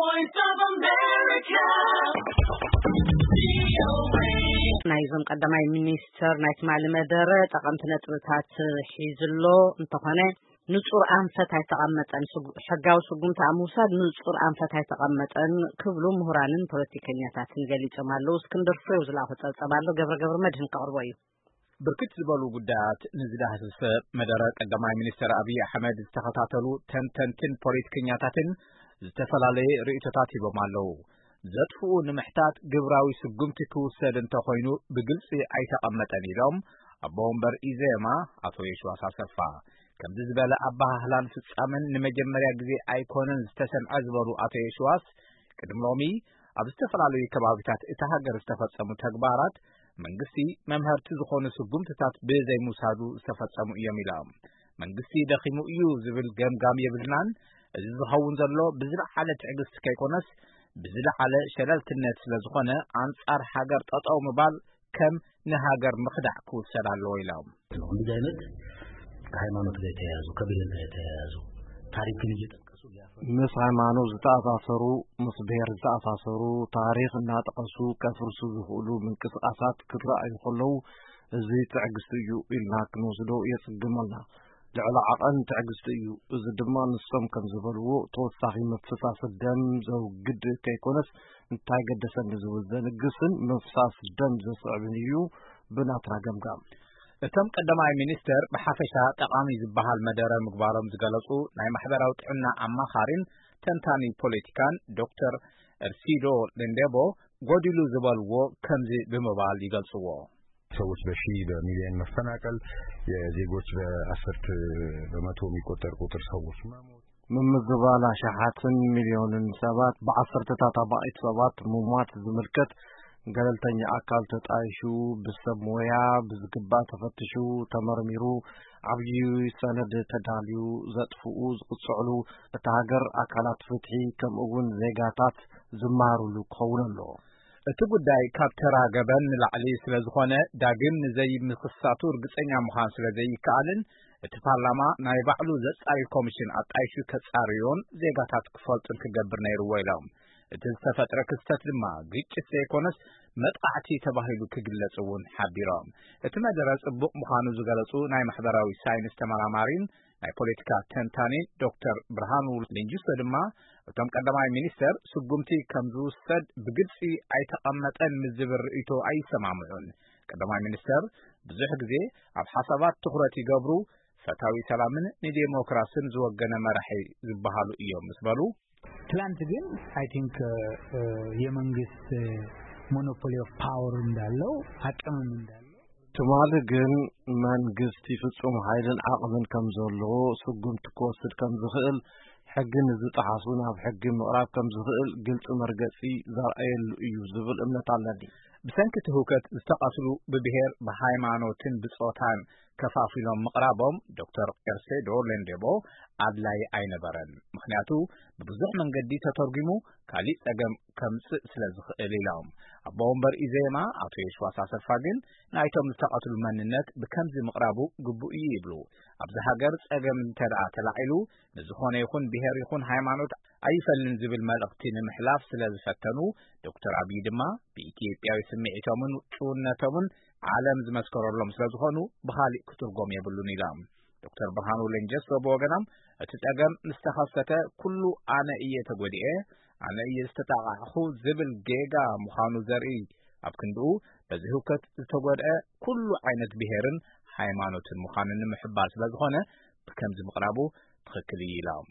Voice of America. ናይዞም ቀዳማይ ሚኒስተር ናይ ትማሊ መደረ ጠቐምቲ ነጥብታት ሒዝሎ እንተኾነ፣ ንጹር ኣንፈት ኣይተቐመጠን፣ ስጉ-፣ ሕጋዊ ስጉምቲ ኣብ ምውሳድ ንጹር ኣንፈት ኣይተቐመጠን ክብሉ ምሁራንን ፖለቲከኛታትን ገሊጾም ኣለዉ። እስክንድር ፍሬው ዝለኣኾ ጸብጸብ ኣሎ፣ ገብረ ገብረ መድህን ከቕርቦ እዩ። ብርክት ዝበሉ ጉዳያት ንዝዳህስሰ መደረ ቀዳማይ ሚኒስተር ኣብይ ኣሕመድ ዝተኸታተሉ ተንተንትን ፖለቲከኛታትን ዝተፈላለየ ርእይቶታት ሂቦም ኣለዉ። ዘጥፍኡ ንምሕታት ግብራዊ ስጉምቲ ክውሰድ እንተኾይኑ ብግልጺ ኣይተቐመጠን ኢሎም ኣቦ ወንበር ኢዜማ ኣቶ የሽዋስ ኣሰፋ። ከምዚ ዝበለ ኣበሃህላን ፍጻመን ንመጀመርያ ግዜ ኣይኮነን ዝተሰምዐ ዝበሉ ኣቶ የሽዋስ፣ ቅድሚ ሎሚ ኣብ ዝተፈላለዩ ከባቢታት እታ ሃገር ዝተፈጸሙ ተግባራት መንግስቲ መምሀርቲ ዝኾኑ ስጉምትታት ብዘይምውሳዱ ዝተፈጸሙ እዮም ኢሎም። መንግስቲ ደኺሙ እዩ ዝብል ገምጋም የብልናን። እዚ ዝኸውን ዘሎ ብዝለዓለ ትዕግስቲ ከይኮነስ ብዝለዓለ ሸለልትነት ስለ ዝኾነ ኣንጻር ሃገር ጠጠው ምባል ከም ንሃገር ምኽዳዕ ክውሰድ ኣለዎ ኢሎም። እንደዚህ አይነት ከሃይማኖት ጋር የተያያዙ፣ ከብሔር ጋር የተያያዙ ታሪክን እየጠቀሱ ሊያፈርሱ ምስ ሃይማኖት ዝተኣሳሰሩ፣ ምስ ብሔር ዝተኣሳሰሩ፣ ታሪኽ እናጠቐሱ ከፍርሱ ዝኽእሉ ምንቅስቓሳት ክረኣዩ ከለዉ፣ እዚ ትዕግስቲ እዩ ኢልና ክንወስዶ የጽግመልና። ልዕሊ ዓቐን ትዕግስቲ እዩ። እዚ ድማ ንሶም ከም ዝበልዎ ተወሳኺ ምፍሳስ ደም ዘውግድ ከይኮነስ እንታይ ገደሰኒ ዝብል ዘንግስን ምፍሳስ ደም ዘስዕብን እዩ ብናትና ገምጋም። እቶም ቀዳማይ ሚኒስተር ብሓፈሻ ጠቓሚ ዝበሃል መደረ ምግባሮም ዝገለጹ ናይ ማሕበራዊ ጥዕና ኣማኻሪን ተንታኒ ፖለቲካን ዶክተር እርሲዶ ለንዴቦ ጎዲሉ ዝበልዎ ከምዚ ብምባል ይገልጽዎ። ሰዎች በሺ በሚሊዮን መፈናቀል፣ የዜጎች በአስርት በመቶ የሚቆጠር ቁጥር ሰዎች መሞት። ምምዝባል ኣሽሓትን ሚልዮንን ሰባት፣ ብዓሰርተታት ኣባኢት ሰባት ምሟት ዝምልከት ገለልተኛ ኣካል ተጣይሹ፣ ብሰብ ሞያ ብዝግባእ ተፈትሹ፣ ተመርሚሩ፣ ዓብዪ ሰነድ ተዳልዩ፣ ዘጥፍኡ ዝቕጽዕሉ፣ እታ ሃገር ኣካላት ፍትሒ ከምኡ እውን ዜጋታት ዝመሃርሉ ክኸውን ኣለዎ። እቲ ጉዳይ ካብ ተራ ገበን ንላዕሊ ስለ ዝኾነ ዳግም ንዘይምኽሳቱ ርግጸኛ ምዃን ስለ ዘይከኣልን እቲ ፓርላማ ናይ ባዕሉ ዘጻሪ ኮሚሽን ኣጣይሹ ከጻርዮን ዜጋታት ክፈልጡን ክገብር ነይርዎ ኢሎም። እቲ ዝተፈጥረ ክስተት ድማ ግጭት ዘይኮነስ መጥቓዕቲ ተባሂሉ ክግለጽ እውን ሓቢሮም። እቲ መደረ ጽቡቕ ምዃኑ ዝገለጹ ናይ ማሕበራዊ ሳይንስ ተመራማሪን ናይ ፖለቲካ ተንታኒ ዶክተር ብርሃኑ ሌንጂሶ ድማ እቶም ቀዳማይ ሚኒስተር ስጉምቲ ከም ዝውሰድ ብግልጺ ኣይተቐመጠን ምስ ዝብል ርእይቶ ኣይሰማምዑን። ቀዳማይ ሚኒስተር ብዙሕ ግዜ ኣብ ሓሳባት ትኹረት ይገብሩ፣ ፈታዊ ሰላምን ንዴሞክራስን ዝወገነ መራሒ ዝበሃሉ እዮም ምስ በሉ፣ ትላንት ግን I think የመንግስት monopoly of power እንዳለው አቅምም እንዳለው ትማሊ ግን መንግስቲ ፍጹም ሓይልን ዓቕምን ከም ዘለዎ፣ ስጉምቲ ክወስድ ከም ዝኽእል፣ ሕጊ ንዝጠሓሱ ናብ ሕጊ ምቕራብ ከም ዝኽእል ግልጺ መርገጺ ዘርኣየሉ እዩ ዝብል እምነት ኣለኒ። ብሰንኪ እቲ ህውከት ዝተቐትሉ ብብሔር፣ ብሃይማኖትን ብጾታን ከፋፊሎም ምቕራቦም ዶክተር ኤርሴዶ ሌንዴቦ ኣድላይ ኣይነበረን። ምኽንያቱ ብብዙሕ መንገዲ ተተርጒሙ ካሊእ ጸገም ከምጽእ ስለ ዝኽእል ኢሎም። ኣቦ ወንበር ኢዜማ ኣቶ የሽዋስ ኣሰፋ ግን ናይቶም ዝተቐትሉ መንነት ብከምዚ ምቕራቡ ግቡእ እዩ ይብሉ። ኣብዚ ሃገር ጸገም እንተ ደኣ ተላዒሉ ንዝኾነ ይኹን ብሔር ይኹን ሃይማኖት ኣይፈልን ዝብል መልእኽቲ ንምሕላፍ ስለ ዝፈተኑ ዶክተር ኣብይ ድማ ብኢትዮጵያዊ ስምዒቶምን ጭውነቶምን ዓለም ዝመስከረሎም ስለ ዝኾኑ ብኻሊእ ክትርጎም የብሉን ኢሎም። ዶክተር ብርሃኑ ሌንጀሶ ብወገኖም እቲ ጸገም ምስ ተኸሰተ ኩሉ ኣነ እየ ተጎዲኤ፣ ኣነ እየ ዝተጣቓዕኹ ዝብል ጌጋ ምዃኑ ዘርኢ ኣብ ክንድኡ በዚ ህውከት ዝተጎድአ ኩሉ ዓይነት ብሔርን ሃይማኖትን ምዃኑ ንምሕባር ስለ ዝኾነ ብከምዚ ምቕራቡ ትኽክል እዩ ኢሎም።